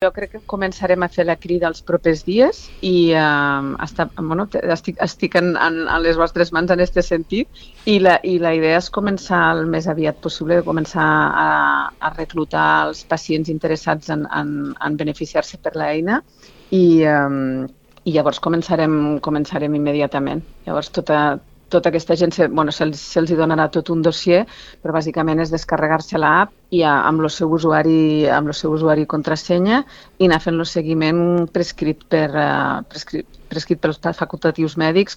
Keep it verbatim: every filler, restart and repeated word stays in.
Jo crec que començarem a fer la crida els propers dies i eh, està, bueno, estic, estic en, en, en les vostres mans en aquest sentit i la, i la idea és començar el més aviat possible, començar a, a reclutar els pacients interessats en, en, en beneficiar-se per l'eina i, eh, i llavors començarem, començarem immediatament. Llavors tota, tota aquesta gent, se, bueno, se'ls, se'ls donarà tot un dossier, però bàsicament és descarregar-se l'app i a, amb el seu usuari, amb el seu usuari i contrasenya i anar fent el seguiment prescrit, per, uh, prescrit, prescrit pels facultatius mèdics